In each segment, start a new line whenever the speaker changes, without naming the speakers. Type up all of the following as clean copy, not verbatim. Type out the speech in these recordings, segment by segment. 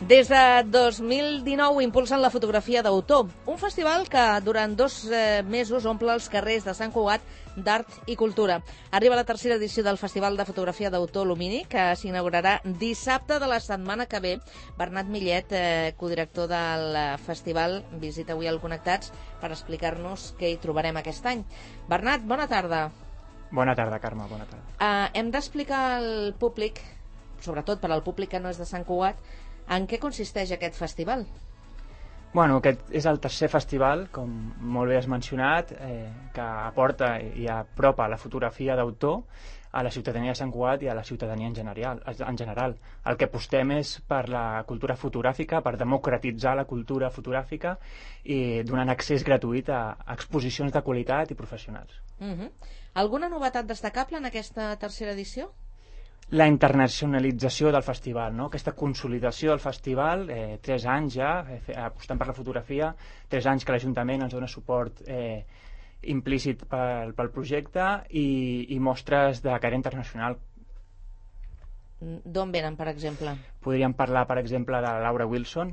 Des de 2019 impulsen la fotografia d'autor, un festival que durant 2 mesos omple els carrers de Sant Cugat d'art i cultura. Arriba la tercera edició del Festival de Fotografia d'Autor Lumini, que s'inaugurarà dissabte de la setmana que ve. Bernat Millet, codirector del festival, visita avui al Connectats per explicar-nos què hi trobarem aquest any. Bernat, bona tarda.
Bona tarda, Carme, bona tarda.
Hem d'explicar al públic, sobretot per al públic que no és de Sant Cugat, en què consisteix aquest festival?
Bueno, aquest és el tercer festival, com molt bé has mencionat, que aporta i apropa la fotografia d'autor a la ciutadania de Sant Cugat i a la ciutadania en general. El que apostem és per la cultura fotogràfica, per democratitzar la cultura fotogràfica i donant accés gratuït a exposicions de qualitat i professionals.
Alguna novetat destacable en aquesta tercera edició?
La internacionalització del festival, no? Aquesta consolidació del festival, 3 anys ja, apostant per la fotografia, 3 anys que l'Ajuntament ens dona suport implícit pel projecte i mostres de caire internacional.
D'on venen, per exemple?
Podríem parlar, per exemple, de Laura Wilson,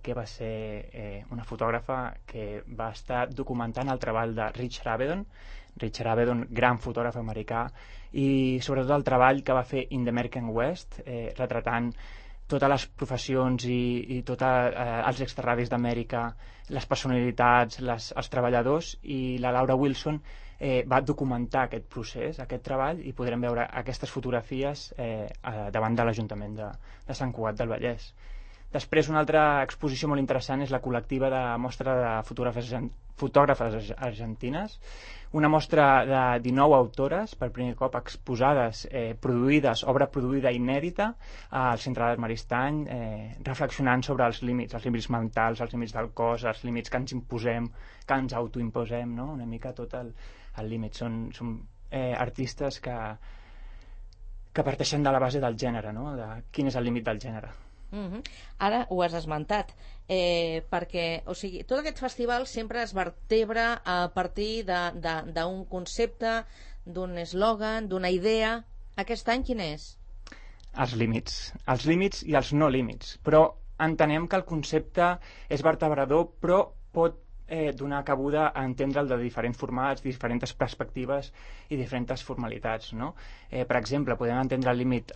que va ser una fotògrafa que va estar documentant el treball de Richard Avedon, gran fotògraf americà, i sobretot el treball que va fer in the American West, retratant totes les professions i tots els extrarradis d'Amèrica, les personalitats, els treballadors, i la Laura Wilson va documentar aquest procés, aquest treball, i podrem veure aquestes fotografies davant de l'Ajuntament de Sant Cugat del Vallès. Després, una altra exposició molt interessant és la col·lectiva de mostra de fotògrafes argentines, una mostra de 19 autores, per primer cop exposades, obra produïda inèdita al Centre d'Art Maristany, reflexionant sobre els límits mentals, els límits del cos, els límits que ens imposem, que ens autoimposem, no? Una mica tot el límit. Són artistes que parteixen de la base del gènere, no? De quin és el límit del gènere.
Ara ho has esmentat, perquè tot aquest festival sempre es vertebra a partir d'un concepte, d'un eslògan, d'una idea. Aquest any quin és?
Els límits i els no límits, però entenem que el concepte és vertebrador, però pot donar cabuda a entendre'l de diferents formats, diferents perspectives i diferents formalitats, no? Per exemple, podem entendre el límit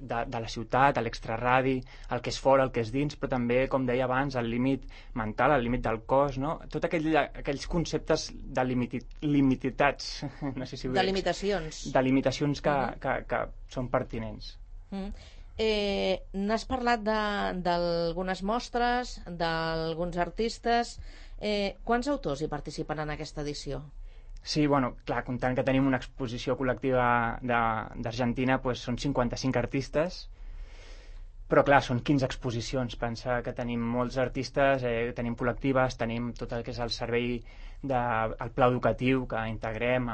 de la ciutat, l'extraradi, el que és fora, el que és dins, però també, com deia abans, el límit mental, el límit del cos, no? Tots aquells conceptes de limitacions. No sé si
de limitacions.
De limitacions que són pertinents.
N'has parlat d'algunes mostres, d'alguns artistes. Quants autors hi participen en aquesta edició?
Sí, bueno, clar, comptant que tenim una exposició col·lectiva d'Argentina, doncs són 55 artistes, però clar, són 15 exposicions. Pensa que tenim molts artistes, tenim col·lectives, tenim tot el que és el servei del pla educatiu que integrem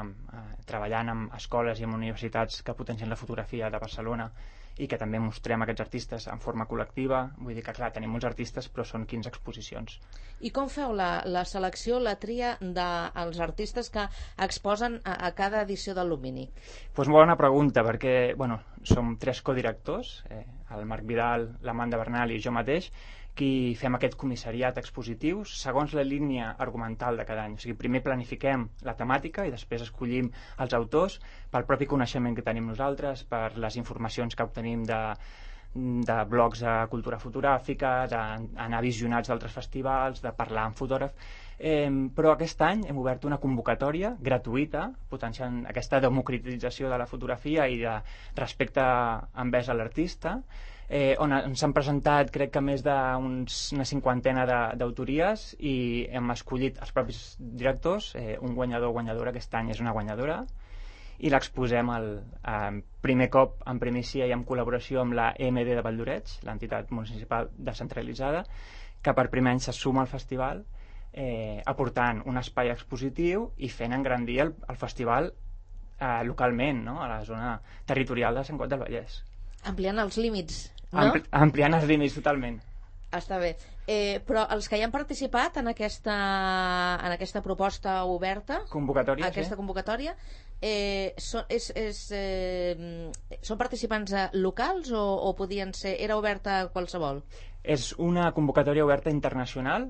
treballant amb escoles i amb universitats que potencien la fotografia de Barcelona i que també mostrem aquests artistes en forma col·lectiva. Vull dir que, clar, tenim molts artistes, però són 15 exposicions.
I com feu la selecció, la tria dels artistes que exposen a cada edició del Lumini?
Doncs bona pregunta, perquè som 3 codirectors, el Marc Vidal, l'Amanda Bernal i jo mateix, qui fem aquest comissariat expositiu segons la línia argumental de cada any. O sigui, primer planifiquem la temàtica i després escollim els autors pel propi coneixement que tenim nosaltres, per les informacions que obtenim de blogs de cultura fotogràfica, d'anar a visionats d'altres festivals, de parlar amb fotògrafs. Però aquest any hem obert una convocatòria gratuïta, potenciant aquesta democratització de la fotografia i de respecte envers a l'artista, on ens han presentat, crec que més d'una 50 d'autories, i hem escollit els propis directors, un guanyador o guanyadora. Aquest any és una guanyadora, i l'exposem primer cop en primícia i en col·laboració amb la EMD de Valldoreix, l'entitat municipal descentralitzada, que per primer any se suma al festival, aportant un espai expositiu i fent engrandir el festival localment, no? A la zona territorial de Sant Cugat del Vallès.
Ampliant els límits, no?
Ampliant els límits, totalment.
Està bé. Però els que hi han participat en aquesta proposta oberta,
Convocatòria,
aquesta convocatòria, són participants locals o podien ser... Era oberta a qualsevol?
És una convocatòria oberta internacional,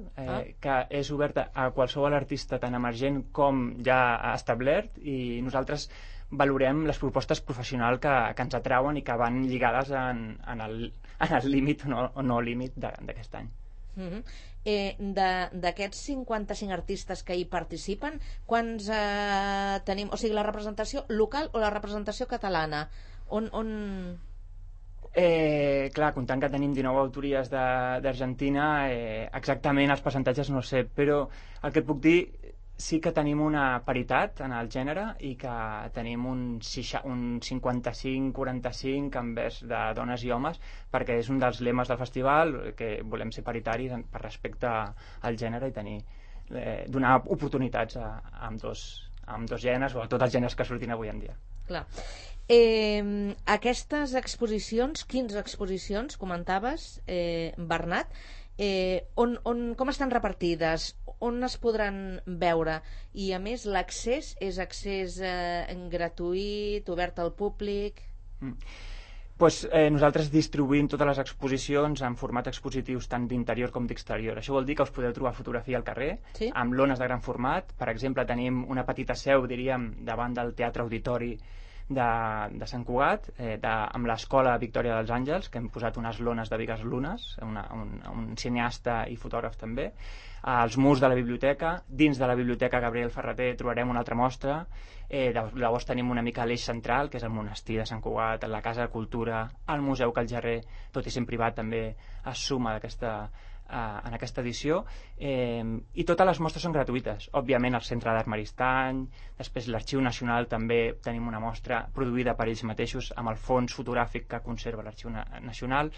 que és oberta a qualsevol artista tan emergent com ja establert, i nosaltres valorem les propostes professionals que ens atrauen i que van lligades en el límit o no límit d'aquest any.
D'aquests 55 artistes que hi participen, quants tenim? O sigui, la representació local o la representació catalana?
Clar, comptant que tenim 19 autories d'Argentina, exactament els percentatges no sé, però el que et puc dir sí que tenim una paritat en el gènere i que tenim un 55-45 envers de dones i homes, perquè és un dels lemes del festival, que volem ser paritaris per respecte al gènere i donar oportunitats a ambdós gèneres o a tots els gèneres que surtin avui en dia.
Clar. Aquestes exposicions, 15 exposicions, comentaves, Bernat, com estan repartides, on es podran veure, i a més l'accés és accés gratuït, obert al públic?
Nosaltres distribuïm totes les exposicions en format expositius tant d'interior com d'exterior. Això vol dir que us podeu trobar fotografia al carrer, sí? Amb lones de gran format. Per exemple, tenim una petita seu, diríem, davant del Teatre Auditori de Sant Cugat, amb l'Escola Victòria dels Àngels, que hem posat unes lones de Bigues Lunes, un cineasta i fotògraf també, als murs de la biblioteca. Dins de la biblioteca Gabriel Ferrater trobarem una altra mostra. Llavors tenim una mica l'eix central, que és el monestir de Sant Cugat, la Casa de Cultura, el Museu Callgerrer, tot i sent privat també es suma en aquesta edició, i totes les mostres són gratuïtes. Òbviament el Centre d'Art Maristany, després l'Arxiu Nacional també tenim una mostra produïda per ells mateixos amb el fons fotogràfic que conserva l'Arxiu Nacional.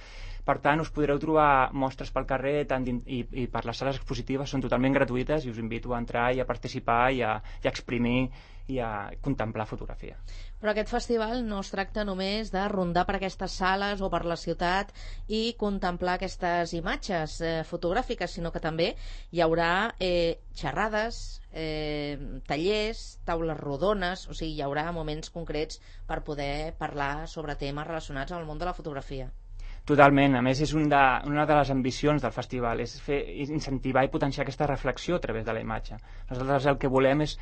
Per tant, us podreu trobar mostres pel carrer i per les sales expositives, són totalment gratuïtes i us invito a entrar i a participar i a exprimir i a contemplar fotografia.
Però aquest festival no es tracta només de rondar per aquestes sales o per la ciutat i contemplar aquestes imatges fotogràfiques, sinó que també hi haurà xerrades, tallers, taules rodones, o sigui, hi haurà moments concrets per poder parlar sobre temes relacionats amb el món de la fotografia.
Totalment, a més és una de les ambicions del festival, és incentivar i potenciar aquesta reflexió a través de la imatge. Nosaltres el que volem és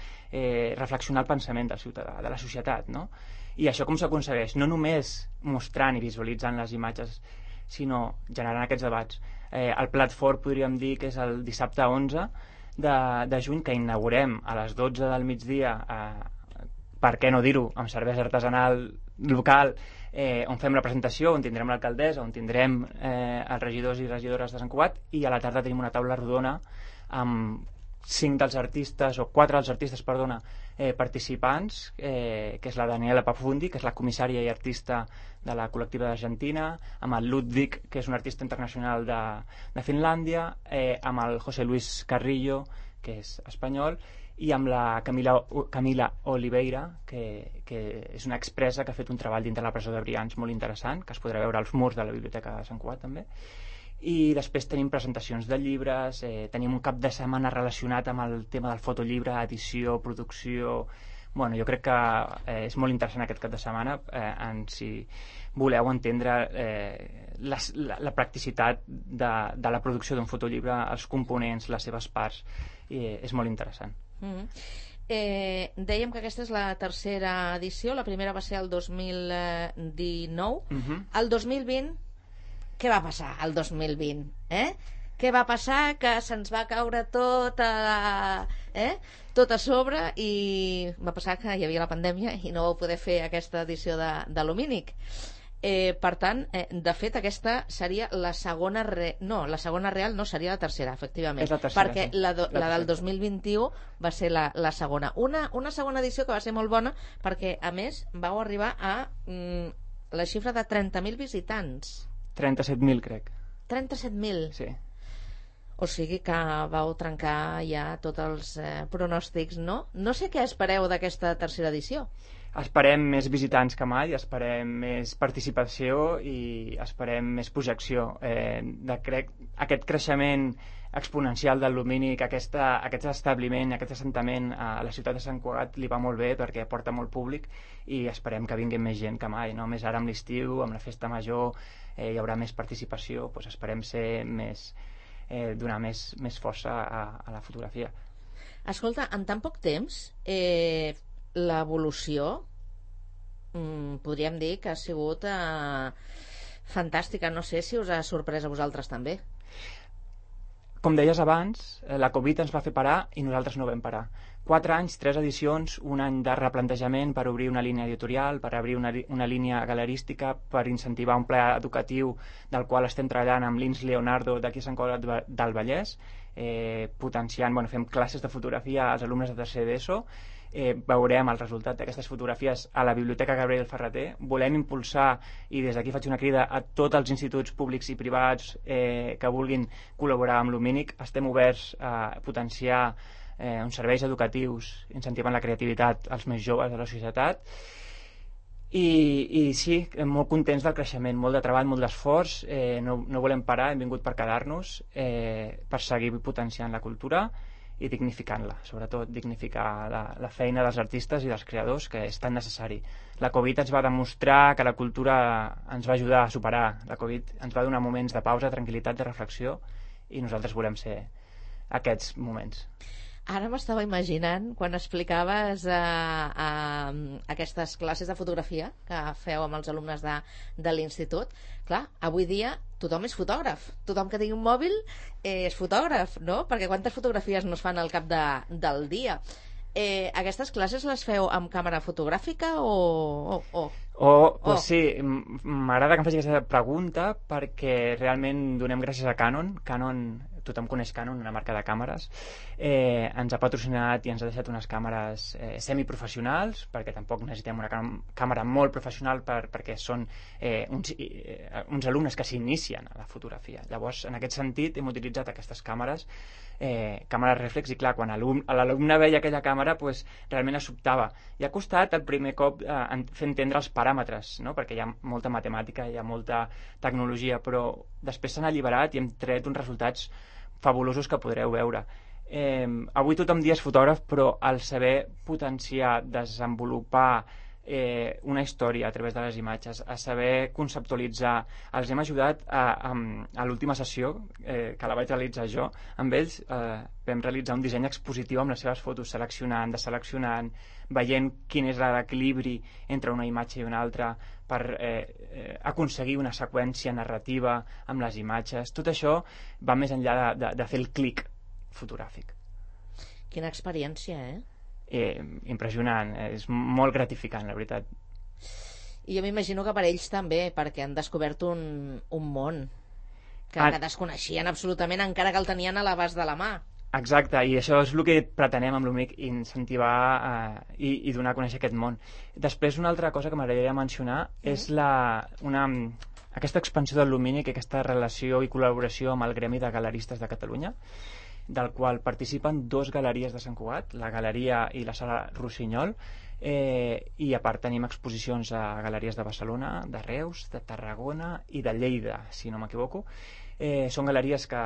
reflexionar el pensament del ciutadà, de la societat, no? I això com s'aconsegueix? No només mostrant i visualitzant les imatges, sinó generant aquests debats. El plat fort podríem dir que és el dissabte 11 de juny, que inaugurem a les 12 del migdia, per què no dir-ho, amb cervesa artesanal local, on fem la presentació, on tindrem l'alcaldessa, on tindrem els regidors i regidores de Sant Cugat, i a la tarda tenim una taula rodona amb 4 dels artistes, participants, que és la Daniela Pafundi, que és la comissària i artista de la col·lectiva d'Argentina, amb el Ludwig, que és un artista internacional de Finlàndia, amb el José Luis Carrillo, que és espanyol, i amb la Camila Oliveira, que és una expressa que ha fet un treball dintre la presó de Brians molt interessant, que es podrà veure als murs de la Biblioteca de Sant Cugat també. I després tenim presentacions de llibres, tenim un cap de setmana relacionat amb el tema del fotollibre, edició, producció. Bueno, jo crec que és molt interessant aquest cap de setmana, si voleu entendre la practicitat de la producció d'un fotollibre, els components, les seves parts, és molt interessant.
Dèiem que aquesta és la tercera edició, la primera va ser el 2019. El 2020, què va passar el 2020? Què va passar? Que se'ns va caure tot a sobre, i va passar que hi havia la pandèmia i no vau poder fer aquesta edició de Lumínic. Per tant, de fet, aquesta seria la segona la segona real no, seria la tercera, efectivament.
És la tercera,
perquè
sí.
la del 2021 va ser la segona. Una segona edició que va ser molt bona perquè, a més, vau arribar a la xifra de 30.000 visitants.
37.000, crec.
37.000?
Sí.
O sigui que vau trencar ja tots els pronòstics, no? No sé què espereu d'aquesta tercera edició.
Esperem més visitants que mai, esperem més participació i esperem més projecció. Crec aquest creixement exponencial del Lumínic, aquest establiment, aquest assentament a la ciutat de Sant Cugat li va molt bé perquè porta molt públic i esperem que vingui més gent que mai, no? Més ara amb l'estiu, amb la festa major, hi haurà més participació, doncs esperem ser donar més força a la fotografia.
Escolta, en tan poc temps l'evolució podríem dir que ha sigut fantàstica. No sé si us ha sorprès a vosaltres també.
Com deies abans, la Covid ens va fer parar i nosaltres no vam parar. 4 anys, 3 edicions, un any de replantejament per obrir una línia editorial, per obrir una línia galerística, per incentivar un pla educatiu del qual estem treballant amb l'Ins Leonardo d'aquí a Sant Cugat del Vallès, potenciant, fem classes de fotografia als alumnes de tercer d'ESO, veurem el resultat d'aquestes fotografies a la Biblioteca Gabriel Ferrater. Volem impulsar, i des d'aquí faig una crida a tots els instituts públics i privats que vulguin col·laborar amb Lumínic. Estem oberts a potenciar uns serveis educatius incentivant la creativitat als més joves de la societat. I sí, molt contents del creixement, molt de treball, molt d'esforç, no volem parar, hem vingut per quedar-nos, per seguir potenciant la cultura i dignificant-la, sobretot dignificar la feina dels artistes i dels creadors, que és tan necessari. La Covid ens va demostrar que la cultura ens va ajudar a superar. La Covid ens va donar moments de pausa, tranquil·litat, de reflexió, i nosaltres volem ser aquests moments.
Ara m'estava imaginant, quan explicaves aquestes classes de fotografia que feu amb els alumnes de l'institut, clar, avui dia tothom és fotògraf, tothom que tingui un mòbil és fotògraf, no? Perquè quantes fotografies no es fan al cap del dia? Aquestes classes les feu amb càmera fotogràfica
Sí, m'agrada que em faci aquesta pregunta perquè realment donem gràcies a Canon. Tothom coneix Canon, una marca de càmeres, ens ha patrocinat i ens ha deixat unes càmeres semiprofessionals, perquè tampoc necessitem una càmera molt professional perquè són uns alumnes que s'inicien a la fotografia. Llavors, en aquest sentit, hem utilitzat aquestes càmeres reflex, i clar, quan l'alumne veia aquella càmera, realment es sobtava. I ha costat el primer cop fer entendre els paràmetres, no? Perquè hi ha molta matemàtica, hi ha molta tecnologia, però després s'han alliberat i hem tret uns resultats fabulosos que podreu veure. Avui tothom dia és fotògraf, però al saber potenciar, desenvolupar una història a través de les imatges, a saber conceptualitzar, els hem ajudat a l'última sessió que la vaig realitzar jo amb ells. Vam realitzar un disseny expositiu amb les seves fotos, deseleccionant, veient quin és l'equilibri entre una imatge i una altra per aconseguir una seqüència narrativa amb les imatges. Tot això va més enllà de fer el clic fotogràfic.
Quina experiència,
impressionant, és molt gratificant, la veritat.
I jo m'imagino que per ells també, perquè han descobert un món que desconeixien absolutament, encara que el tenien a l'abast de la mà.
Exacte, i això és el que pretenem amb l'UMIC, incentivar i donar a conèixer aquest món. Després, una altra cosa que m'agradaria mencionar és aquesta expansió del Lumínic, aquesta relació i col·laboració amb el Gremi de Galeristes de Catalunya, del qual participen 2 galeries de Sant Cugat, la Galeria i la Sala Rossinyol, i a part tenim exposicions a galeries de Barcelona, de Reus, de Tarragona i de Lleida, si no m'equivoco. Són galeries que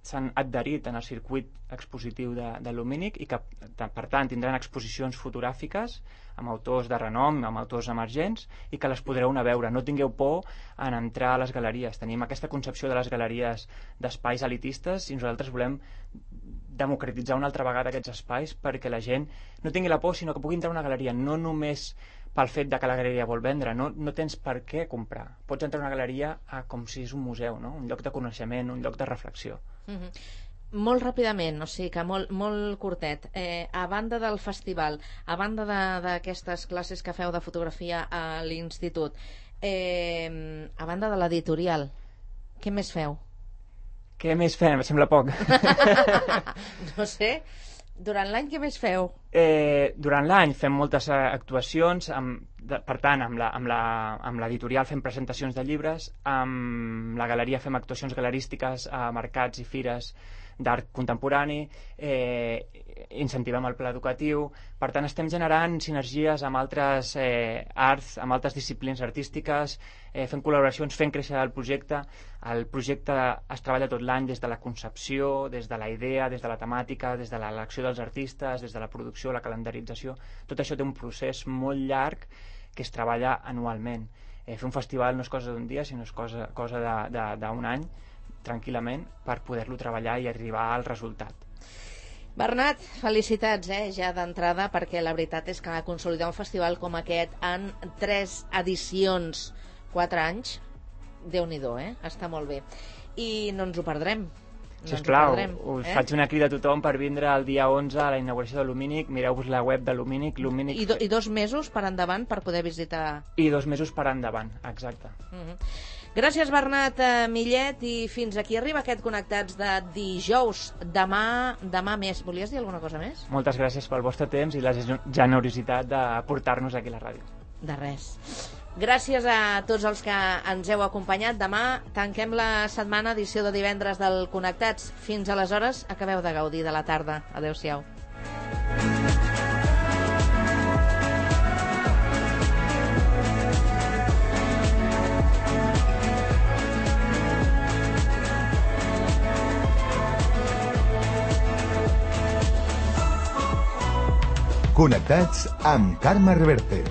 s'han adherit en el circuit expositiu de Lumínic i que, per tant, tindran exposicions fotogràfiques amb autors de renom, amb autors emergents, i que les podreu anar a veure. No tingueu por en entrar a les galeries. Tenim aquesta concepció de les galeries d'espais elitistes i nosaltres volem democratitzar una altra vegada aquests espais perquè la gent no tingui la por, sinó que pugui entrar a una galeria, no només pel fet de que la galeria vol vendre, no tens per què comprar. Pots entrar a una galeria com si és un museu, no? Un lloc de coneixement, un lloc de reflexió.
Molt ràpidament, o sigui que molt curtet, a banda del festival, a banda d'aquestes classes que feu de fotografia a l'institut, a banda de l'editorial, què més feu?
Què més fem? Em sembla poc.
No sé. Durant l'any què més feu?
Durant l'any fem moltes actuacions, per tant, amb l'editorial fem presentacions de llibres, amb la galeria fem actuacions galerístiques a mercats i fires d'art contemporani, incentivem el pla educatiu. Per tant, estem generant sinergies amb altres arts, amb altres disciplines artístiques, fent col·laboracions, fent créixer el projecte. El projecte es treballa tot l'any des de la concepció, des de la idea, des de la temàtica, des de l'elecció dels artistes, des de la producció, la calendarització. Tot això té un procés molt llarg que es treballa anualment. Fer un festival no és cosa d'un dia, sinó és cosa d'un any, tranquil·lament, per poder-lo treballar i arribar al resultat.
Bernat, felicitats, ja d'entrada, perquè la veritat és que consolidar un festival com aquest en 3 edicions, 4 anys, Déu-n'hi-do, està molt bé. I no ens ho perdrem.
Sisplau, us faig una crida a tothom per vindre el dia 11 a la inauguració de l'Umínic. Mireu-vos la web de l'Umínic.
I 2 mesos per endavant per poder visitar...
I 2 mesos per endavant, exacte.
Gràcies, Bernat Millet, i fins aquí arriba aquest Connectats de dijous. Demà més. Volies dir alguna cosa més?
Moltes gràcies pel vostre temps i la generositat de portar-nos aquí a la ràdio.
De res. Gràcies a tots els que ens heu acompanyat. Demà tanquem la setmana, edició de divendres del Connectats. Fins aleshores, acabeu de gaudir de la tarda. Adéu-siau.
Connectats amb Carme Reverte.